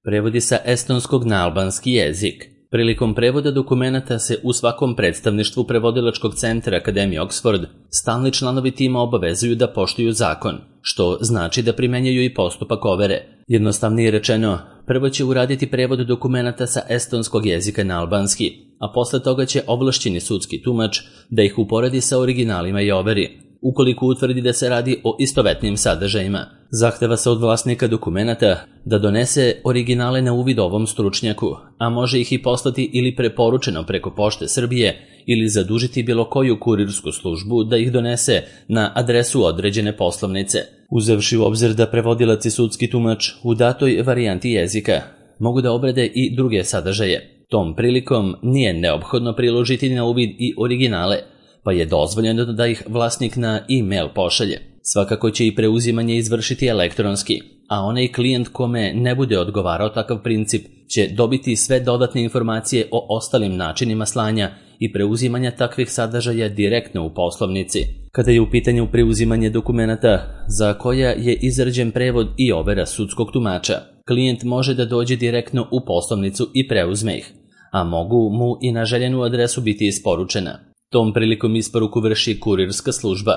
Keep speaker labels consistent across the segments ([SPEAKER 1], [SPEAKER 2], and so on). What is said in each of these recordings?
[SPEAKER 1] Prevodi sa estonskog na albanski jezik. Prilikom prevoda dokumenata se u svakom predstavništvu prevodilačkog centra Akademije Oxford stalni članovi tima obavezuju da poštuju zakon, što znači da primenjuju i postupak overe. Jednostavnije rečeno, prvo će uraditi prevod dokumenata sa estonskog jezika na albanski, a posle toga će ovlašćeni sudski tumač da ih uporedi sa originalima i overi. Ukoliko utvrdi da se radi o istovetnim sadržajima, zahteva se od vlasnika dokumenata da donese originale na uvid ovom stručnjaku, a može ih i poslati ili preporučeno preko Pošte Srbije ili zadužiti bilo koju kurirsku službu da ih donese na adresu određene poslovnice. Uzevši u obzir da prevodilac i sudski tumač u datoj varijanti jezika mogu da obrade i druge sadržaje, tom prilikom nije neophodno priložiti na uvid i originale, pa je dozvoljeno da ih vlasnik na e-mail pošalje. Svakako će i preuzimanje izvršiti elektronski, a onaj klijent kome ne bude odgovarao takav princip će dobiti sve dodatne informacije o ostalim načinima slanja i preuzimanja takvih sadržaja direktno u poslovnici. Kada je u pitanju preuzimanje dokumenata za koja je izrađen prevod i overa sudskog tumača, klijent može da dođe direktno u poslovnicu i preuzme ih, a mogu mu i na željenu adresu biti isporučena. Tom prilikom isporuku vrši kurirska služba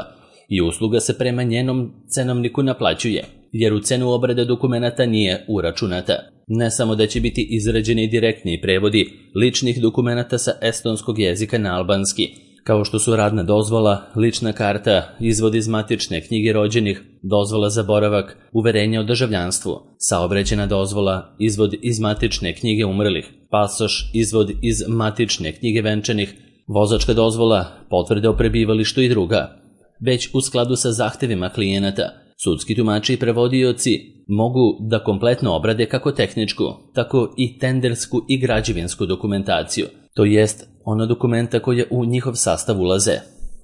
[SPEAKER 1] i usluga se prema njenom cenovniku naplaćuje, jer u cenu obrade dokumenata nije uračunata. Ne samo da će biti izrađeni direktni prevodi ličnih dokumenata sa estonskog jezika na albanski, kao što su radna dozvola, lična karta, izvod iz matične knjige rođenih, dozvola za boravak, uverenje o državljanstvu, saobraćajna dozvola, izvod iz matične knjige umrlih, pasoš, izvod iz matične knjige venčanih, vozačka dozvola, potvrde o prebivalištu i druga. Već u skladu sa zahtevima klijenata, sudski tumači i prevodioci mogu da kompletno obrade kako tehničku, tako i tendersku i građevinsku dokumentaciju, to jest ona dokumenta koja u njihov sastav ulaze: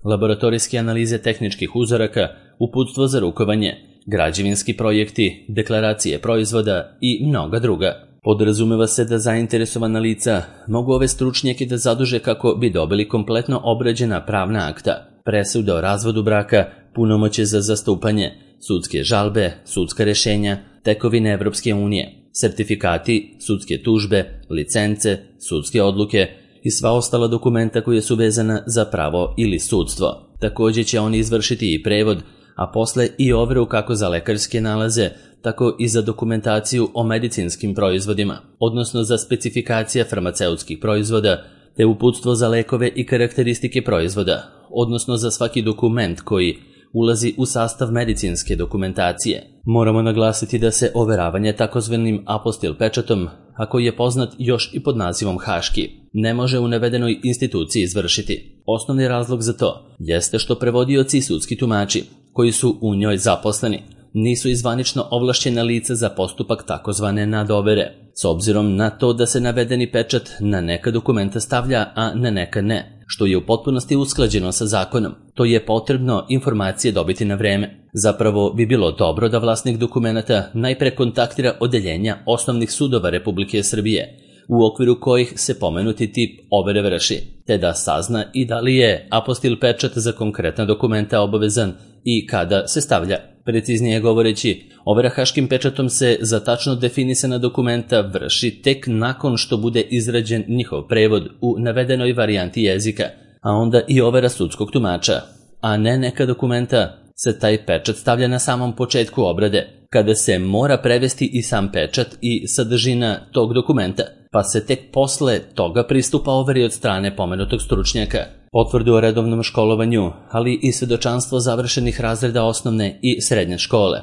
[SPEAKER 1] laboratorijske analize tehničkih uzoraka, uputstvo za rukovanje, građevinski projekti, deklaracije proizvoda i mnoga druga. Podrazumeva se da zainteresovana lica mogu ove stručnjake da zaduže kako bi dobili kompletno obrađena pravna akta, presude o razvodu braka, punomoćje za zastupanje, sudske žalbe, sudska rešenja, tekovine Evropske unije, sertifikati, sudske tužbe, licence, sudske odluke i sva ostala dokumenta koja su vezana za pravo ili sudstvo. Također će oni izvršiti i prevod, a posle i overu kako za lekarske nalaze, tako i za dokumentaciju o medicinskim proizvodima, odnosno za specifikacije farmaceutskih proizvoda, te uputstvo za lekove i karakteristike proizvoda, odnosno za svaki dokument koji ulazi u sastav medicinske dokumentacije. Moramo naglasiti da se overavanje takozvanim apostil pečatom, a koji je poznat još i pod nazivom haški, ne može u navedenoj instituciji izvršiti. Osnovni razlog za to jeste što prevodioci i sudski tumači, koji su u njoj zaposleni, nisu izvanično ovlašćena lica za postupak takozvane nadovere, s obzirom na to da se navedeni pečat na neka dokumenta stavlja, a na neka ne, što je u potpunosti usklađeno sa zakonom. To je potrebno informacije dobiti na vreme. Zapravo bi bilo dobro da vlasnik dokumenata najpre kontaktira odeljenja osnovnih sudova Republike Srbije, u okviru kojih se pomenuti tip overe vrši, te da sazna i da li je apostil pečat za konkretna dokumenta obavezan i kada se stavlja. Preciznije govoreći, overa haškim pečatom se za tačno definisana dokumenta vrši tek nakon što bude izrađen njihov prevod u navedenoj varijanti jezika, a onda i overa sudskog tumača, a ne neka dokumenta se taj pečat stavlja na samom početku obrade, kada se mora prevesti i sam pečat i sadržina tog dokumenta, pa se tek posle toga pristupa overi od strane pomenutog stručnjaka. Potvrdu o redovnom školovanju, ali i svedočanstvo završenih razreda osnovne i srednje škole,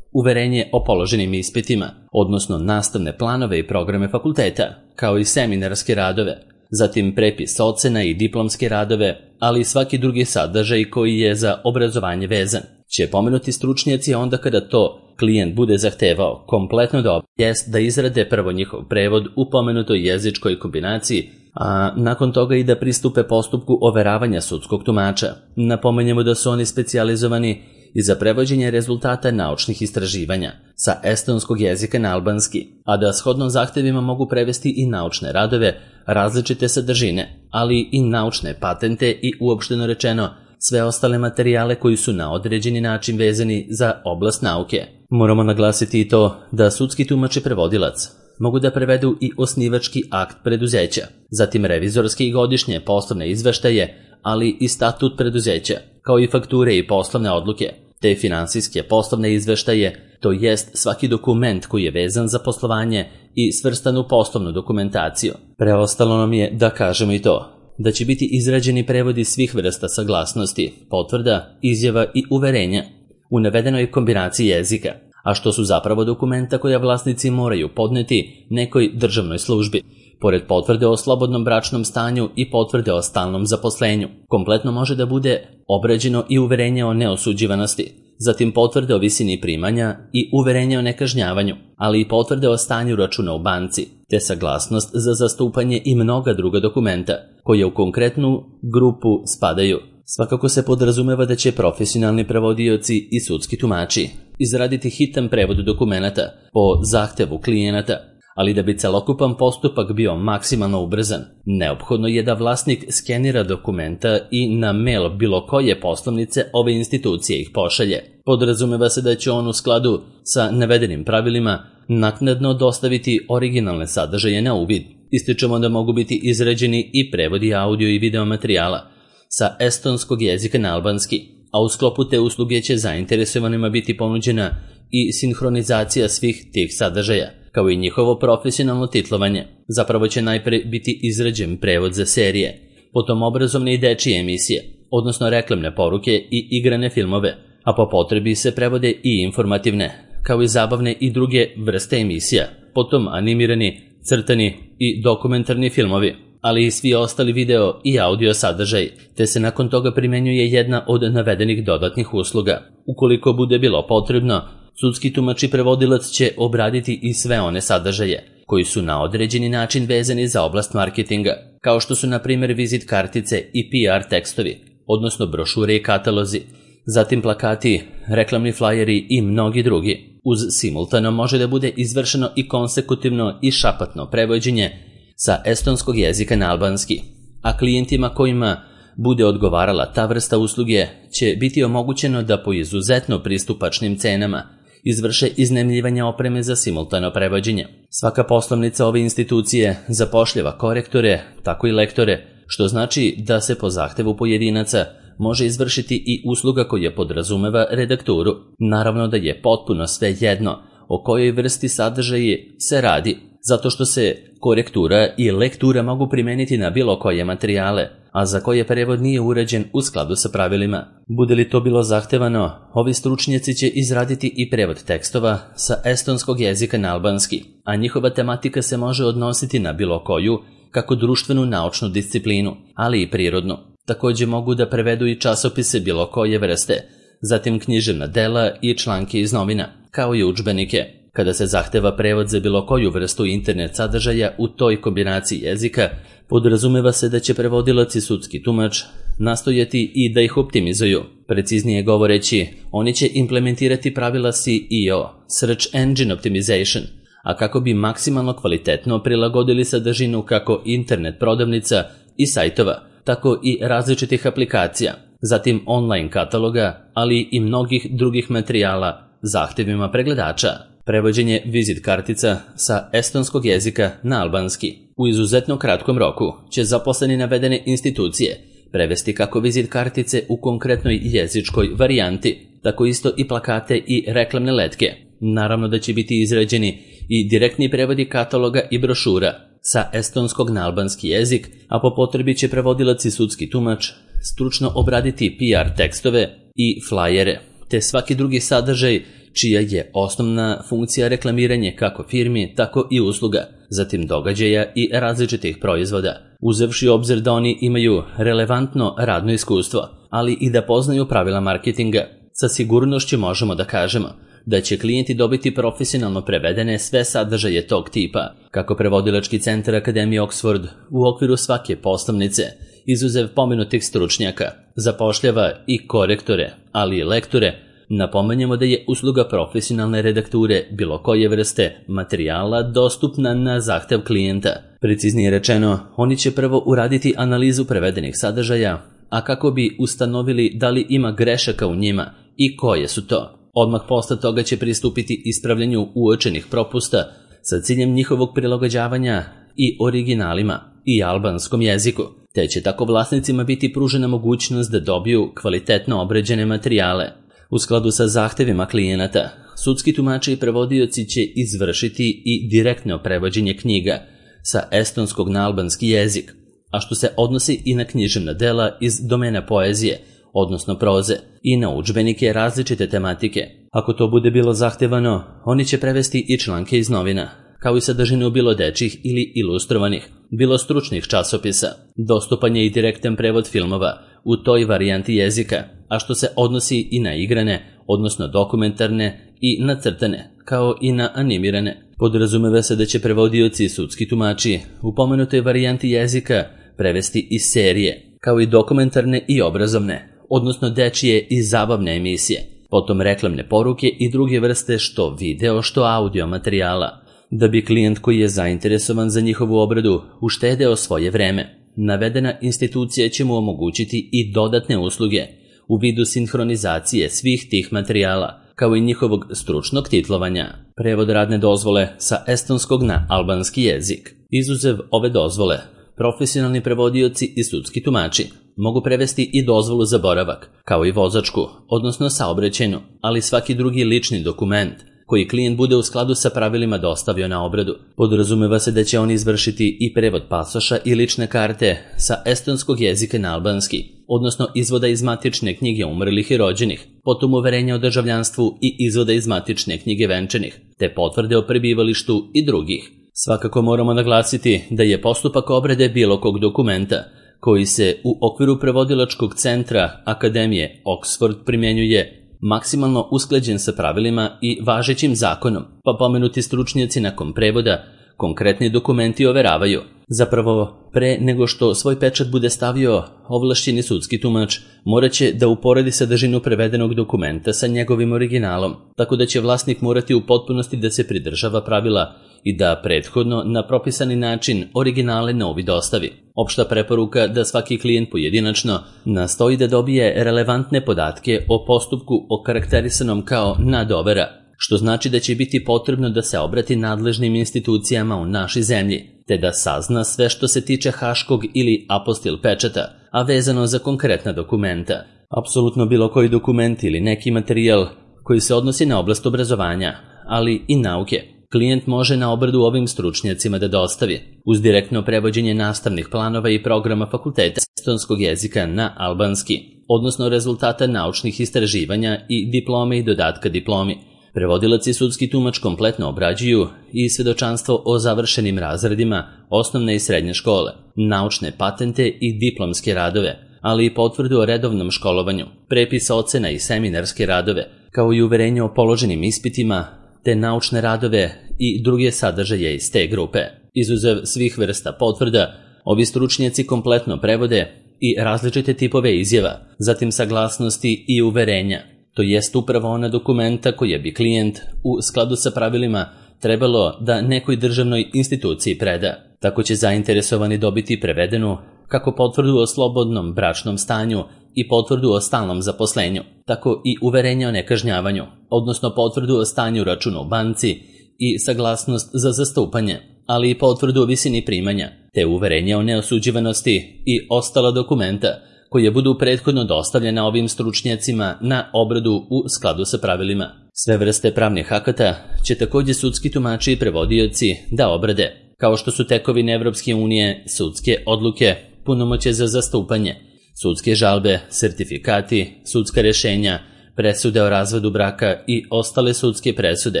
[SPEAKER 1] uverenje o položenim ispitima, odnosno nastavne planove i programe fakulteta, kao i seminarske radove, zatim prepis ocena i diplomske radove, ali i svaki drugi sadržaj koji je za obrazovanje vezan, će pomenuti stručnjaci onda kada to klijent bude zahtevao kompletno dobro, jest da izrade prvo njihov prevod u pomenutoj jezičkoj kombinaciji, a nakon toga i da pristupe postupku overavanja sudskog tumača. Napomenjemo da su oni specijalizovani i za prevođenje rezultata naučnih istraživanja sa estonskog jezika na albanski, a da shodno zahtevima mogu prevesti i naučne radove različite sadržine, ali i naučne patente i uopšteno rečeno sve ostale materijale koji su na određeni način vezani za oblast nauke. Moramo naglasiti i to da sudski tumač i prevodilac mogu da prevedu i osnivački akt preduzeća, zatim revizorske i godišnje poslovne izveštaje, ali i statut preduzeća, kao i fakture i poslovne odluke, te finansijske poslovne izveštaje, to jest svaki dokument koji je vezan za poslovanje i svrstan u poslovnu dokumentaciju. Preostalo nam je da kažemo i to, da će biti izrađeni prevodi svih vrsta saglasnosti, potvrda, izjava i uverenja u navedenoj kombinaciji jezika, a što su zapravo dokumenta koja vlasnici moraju podneti nekoj državnoj službi, pored potvrde o slobodnom bračnom stanju i potvrde o stalnom zaposlenju. Kompletno može da bude obrađeno i uverenje o neosuđivanosti, zatim potvrde o visini primanja i uverenje o nekažnjavanju, ali i potvrde o stanju računa u banci, te saglasnost za zastupanje i mnoga druga dokumenta, koje u konkretnu grupu spadaju. Svakako se podrazumeva da će profesionalni prevodioci i sudski tumači izraditi hitan prevod dokumenta po zahtevu klijenata, ali da bi celokupan postupak bio maksimalno ubrzan, neophodno je da vlasnik skenira dokumenta i na mail bilo koje poslovnice ove institucije ih pošalje. Podrazumeva se da će on u skladu sa navedenim pravilima naknadno dostaviti originalne sadržaje na uvid. Ističemo da mogu biti izrađeni i prevodi audio i video materijala sa estonskog jezika na albanski, a u sklopu te usluge će zainteresovanima biti ponuđena i sinhronizacija svih tih sadržaja, kao i njihovo profesionalno titlovanje. Zapravo će najpre biti izrađen prevod za serije, potom obrazovne i dečije emisije, odnosno reklamne poruke i igrane filmove, a po potrebi se prevode i informativne, kao i zabavne i druge vrste emisija, potom animirani, crtani i dokumentarni filmovi, ali i svi ostali video i audio sadržaj, te se nakon toga primenjuje jedna od navedenih dodatnih usluga. Ukoliko bude bilo potrebno, sudski tumač i prevodilac će obraditi i sve one sadržaje koji su na određeni način vezani za oblast marketinga, kao što su na primjer vizit kartice i PR tekstovi, odnosno brošure i katalozi, zatim plakati, reklamni flajeri i mnogi drugi. Uz simultano može da bude izvršeno i konsekutivno i šapatno prevođenje sa estonskog jezika na albanski, a klijentima kojima bude odgovarala ta vrsta usluge će biti omogućeno da po izuzetno pristupačnim cenama izvrše iznajmljivanje opreme za simultano prevođenje. Svaka poslovnica ove institucije zapošljava korektore, tako i lektore, što znači da se po zahtevu pojedinaca može izvršiti i usluga koja podrazumeva redakturu. Naravno da je potpuno sve jedno o kojoj vrsti sadržaji se radi, zato što se korektura i lektura mogu primeniti na bilo koje materijale, a za koje prevod nije uređen u skladu sa pravilima. Bude li to bilo zahtevano, ovi stručnjaci će izraditi i prevod tekstova sa estonskog jezika na albanski, a njihova tematika se može odnositi na bilo koju, kako društvenu naučnu disciplinu, ali i prirodnu. Također mogu da prevedu i časopise bilo koje vrste, zatim književna dela i članke iz novina, kao i udžbenike. Kada se zahteva prevod za bilo koju vrstu internet sadržaja u toj kombinaciji jezika, podrazumeva se da će prevodilac i sudski tumač nastojati i da ih optimizuju. Preciznije govoreći, oni će implementirati pravila SEO, Search Engine Optimization, a kako bi maksimalno kvalitetno prilagodili sadržinu kako internet prodavnica i sajtova, tako i različitih aplikacija, zatim online kataloga, ali i mnogih drugih materijala zahtevima pregledača. Prevođenje vizit kartica sa estonskog jezika na albanski u izuzetno kratkom roku će zaposleni navedene institucije prevesti kako vizit kartice u konkretnoj jezičkoj varijanti, tako isto i plakate i reklamne letke. Naravno da će biti izrađeni i direktni prevodi kataloga i brošura sa estonskog na albanski jezik, a po potrebi će prevodilac i sudski tumač stručno obraditi PR tekstove i flajere, te svaki drugi sadržaj čija je osnovna funkcija reklamiranje kako firmi, tako i usluga, zatim događaja i različitih proizvoda, uzevši obzir da oni imaju relevantno radno iskustvo, ali i da poznaju pravila marketinga. Sa sigurnošću možemo da kažemo da će klijenti dobiti profesionalno prevedene sve sadržaje tog tipa, kako prevodilački centar Akademije Oxford u okviru svake poslovnice, izuzev pomenutih stručnjaka, zapošljava i korektore, ali i lektore. Napomenjemo da je usluga profesionalne redakture bilo koje vrste materijala dostupna na zahtev klijenta. Preciznije rečeno, oni će prvo uraditi analizu prevedenih sadržaja, a kako bi ustanovili da li ima grešaka u njima i koje su to. Odmah posle toga će pristupiti ispravljanju uočenih propusta sa ciljem njihovog prilagođavanja i originalima i albanskom jeziku, te će tako vlasnicima biti pružena mogućnost da dobiju kvalitetno obrađene materijale. U skladu sa zahtevima klijenata, sudski tumači i prevodioci će izvršiti i direktno prevođenje knjiga sa estonskog na albanski jezik, a što se odnosi i na književna dela iz domena poezije, odnosno proze, i na udžbenike različite tematike. Ako to bude bilo zahtevano, oni će prevesti i članke iz novina, kao i sadržinu bilo dečjih ili ilustrovanih, bilo stručnih časopisa. Dostupan je i direktan prevod filmova u toj varijanti jezika, a što se odnosi i na igrane, odnosno dokumentarne i nacrtane, kao i na animirane. Podrazumeva se da će prevodioci i sudski tumači u pomenutoj varijanti jezika prevesti i serije, kao i dokumentarne i obrazovne, odnosno dečije i zabavne emisije, potom reklamne poruke i druge vrste što video što audio materijala, da bi klijent koji je zainteresovan za njihovu obradu uštedeo svoje vreme. Navedena institucija će mu omogućiti i dodatne usluge u vidu sinhronizacije svih tih materijala, kao i njihovog stručnog titlovanja. Prevod radne dozvole sa estonskog na albanski jezik. Izuzev ove dozvole, profesionalni prevodioci i sudski tumači mogu prevesti i dozvolu za boravak, kao i vozačku, odnosno saobraćajnu, ali svaki drugi lični dokument koji klijent bude u skladu sa pravilima dostavio na obradu. Podrazumeva se da će oni izvršiti i prevod pasoša i lične karte sa estonskog jezika na albanski, odnosno izvoda iz matične knjige umrlih i rođenih, potom uverenja o državljanstvu i izvoda iz matične knjige venčanih, te potvrde o prebivalištu i drugih. Svakako moramo naglasiti da je postupak obrade bilo kog dokumenta koji se u okviru prevodilačkog centra Akademije Oxford primjenjuje maksimalno usklađen sa pravilima i važećim zakonom, pa pomenuti stručnjaci nakon prevoda konkretni dokumenti overavaju. Zapravo, pre nego što svoj pečat bude stavio, ovlašćeni sudski tumač morat će da uporedi sadržinu prevedenog dokumenta sa njegovim originalom, tako da će vlasnik morati u potpunosti da se pridržava pravila i da prethodno na propisani način originale na uvid dostavi. Opšta preporuka da svaki klijent pojedinačno nastoji da dobije relevantne podatke o postupku okarakterisanom kao nadovera, što znači da će biti potrebno da se obrati nadležnim institucijama u našoj zemlji, te da sazna sve što se tiče haškog ili apostil pečata, a vezano za konkretna dokumenta. Apsolutno bilo koji dokument ili neki materijal koji se odnosi na oblast obrazovanja, ali i nauke, klijent može na obradu ovim stručnjacima da dostavi, uz direktno prevođenje nastavnih planova i programa fakulteta estonskog jezika na albanski, odnosno rezultata naučnih istraživanja i diplome i dodatka diplomi. Prevodilac i sudski tumač kompletno obrađuju i svedočanstvo o završenim razredima osnovne i srednje škole, naučne patente i diplomske radove, ali i potvrdu o redovnom školovanju, prepis ocena i seminarske radove, kao i uverenje o položenim ispitima, te naučne radove i druge sadržaje iz te grupe. Izuzev svih vrsta potvrda, ovi stručnjaci kompletno prevode i različite tipove izjava, zatim saglasnosti i uverenja, to jest upravo ona dokumenta koje bi klijent u skladu sa pravilima trebalo da nekoj državnoj instituciji preda. Tako će zainteresovani dobiti prevedenu kako potvrdu o slobodnom bračnom stanju i potvrdu o stalnom zaposlenju, tako i uverenje o nekažnjavanju, odnosno potvrdu o stanju računa u banci i saglasnost za zastupanje, ali i potvrdu o visini primanja, te uverenje o neosuđivanosti i ostala dokumenta koje budu prethodno dostavljena ovim stručnjacima na obradu u skladu sa pravilima. Sve vrste pravnih akata će također sudski tumači i prevodioci da obrade, kao što su tekovine Evropske unije, sudske odluke, punomoćje za zastupanje, sudske žalbe, sertifikati, sudska rješenja, presude o razvodu braka i ostale sudske presude,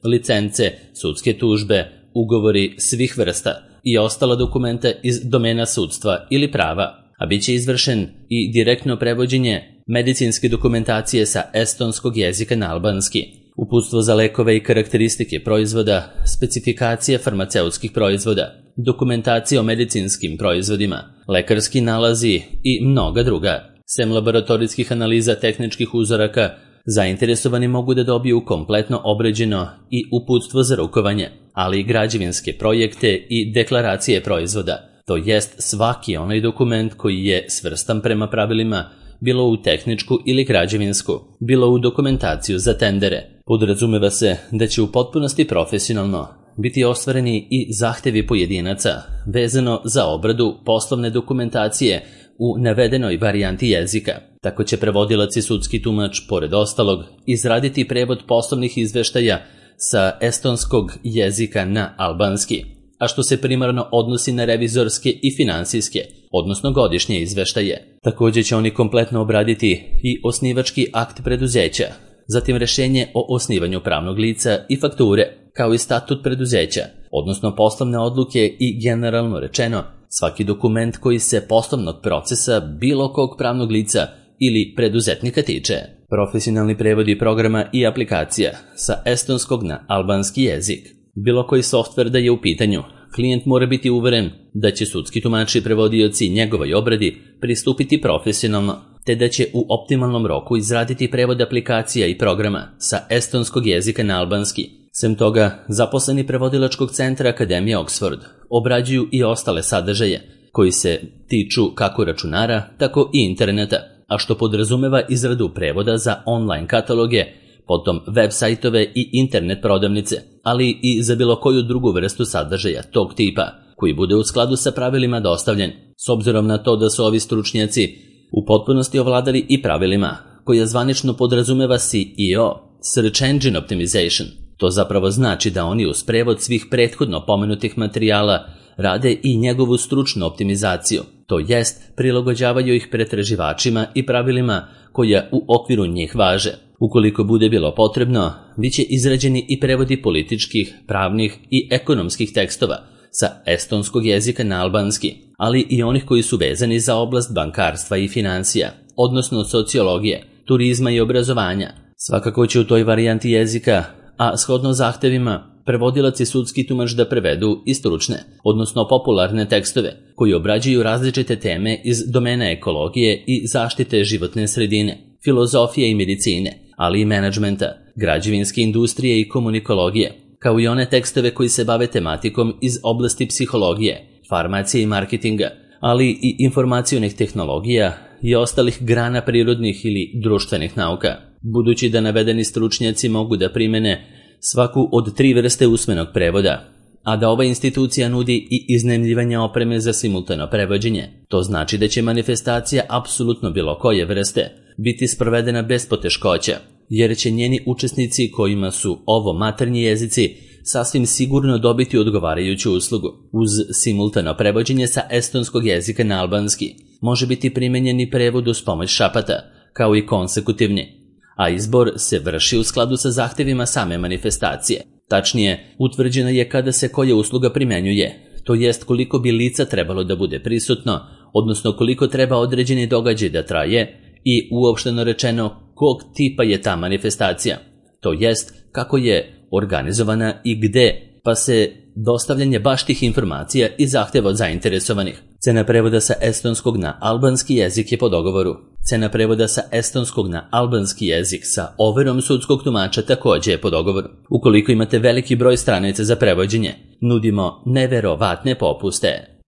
[SPEAKER 1] licence, sudske tužbe, ugovori svih vrsta i ostala dokumenta iz domena sudstva ili prava, a bit će izvršen i direktno prevođenje medicinske dokumentacije sa estonskog jezika na albanski, uputstvo za lekove i karakteristike proizvoda, specifikacije farmaceutskih proizvoda, dokumentacije o medicinskim proizvodima, lekarski nalazi i mnoga druga. Sem laboratorijskih analiza tehničkih uzoraka, zainteresovani mogu da dobiju kompletno obrađeno i uputstvo za rukovanje, ali i građevinske projekte i deklaracije proizvoda, to jest svaki onaj dokument koji je svrstan prema pravilima, bilo u tehničku ili građevinsku, bilo u dokumentaciju za tendere. Podrazumeva se da će u potpunosti profesionalno biti ostvareni i zahtevi pojedinaca vezano za obradu poslovne dokumentacije u navedenoj varijanti jezika. Tako će prevodilac i sudski tumač, pored ostalog, izraditi prevod poslovnih izveštaja sa estonskog jezika na albanski, a što se primarno odnosi na revizorske i finansijske, odnosno godišnje izveštaje. Također će oni kompletno obraditi i osnivački akt preduzeća, zatim rješenje o osnivanju pravnog lica i fakture, kao i statut preduzeća, odnosno poslovne odluke i generalno rečeno, svaki dokument koji se poslovnog procesa bilo kog pravnog lica ili preduzetnika tiče. Profesionalni prevodi programa i aplikacija sa estonskog na albanski jezik. Bilo koji softver da je u pitanju, klijent mora biti uveren da će sudski tumači i prevodioci njegovoj obradi pristupiti profesionalno, te da će u optimalnom roku izraditi prevod aplikacija i programa sa estonskog jezika na albanski. Sem toga, zaposleni prevodilačkog centra Akademije Oxford obrađuju i ostale sadržaje koji se tiču kako računara, tako i interneta, a što podrazumeva izradu prevoda za online kataloge, potom web sajtove i internet prodavnice, ali i za bilo koju drugu vrstu sadržaja tog tipa, koji bude u skladu sa pravilima dostavljen, s obzirom na to da su ovi stručnjaci u potpunosti ovladali i pravilima, koja zvanično podrazumeva SEO, Search Engine Optimization. To zapravo znači da oni uz prevod svih prethodno pomenutih materijala rade i njegovu stručnu optimizaciju, to jest prilagođavaju ih pretraživačima i pravilima koja u okviru njih važe. Ukoliko bude bilo potrebno, bit će izrađeni i prevodi političkih, pravnih i ekonomskih tekstova sa estonskog jezika na albanski, ali i onih koji su vezani za oblast bankarstva i financija, odnosno sociologije, turizma i obrazovanja. Svakako će u toj varijanti jezika, a shodno zahtevima, prevodilac i sudski tumač da prevedu i stručne, odnosno popularne tekstove, koji obrađuju različite teme iz domena ekologije i zaštite životne sredine, filozofije i medicine, ali i menadžmenta, građevinske industrije i komunikologije, kao i one tekstove koji se bave tematikom iz oblasti psihologije, farmacije i marketinga, ali i informacionih tehnologija i ostalih grana prirodnih ili društvenih nauka. Budući da navedeni stručnjaci mogu da primene svaku od 3 vrste usmenog prevoda, a da ova institucija nudi i iznajmljivanje opreme za simultano prevođenje, to znači da će manifestacija apsolutno bilo koje vrste biti sprovedena bez poteškoća, jer će njeni učesnici kojima su ovo maternji jezici sasvim sigurno dobiti odgovarajuću uslugu. Uz simultano prevođenje sa estonskog jezika na albanski može biti primenjeni prevod uz pomoć šapata, kao i konsekutivni, a izbor se vrši u skladu sa zahtevima same manifestacije. Tačnije, utvrđeno je kada se koja usluga primenjuje, to jest koliko bi lica trebalo da bude prisutno, odnosno koliko treba određeni događaj da traje i uopšteno rečeno kog tipa je ta manifestacija, to jest kako je organizovana i gde, pa se dostavljanje baš tih informacija i zahteva od zainteresovanih. Cena prevoda sa estonskog na albanski jezik je po dogovoru. Cena prevoda sa estonskog na albanski jezik sa overom sudskog tumača također je po dogovoru. Ukoliko imate veliki broj stranica za prevođenje, nudimo neverovatne popuste.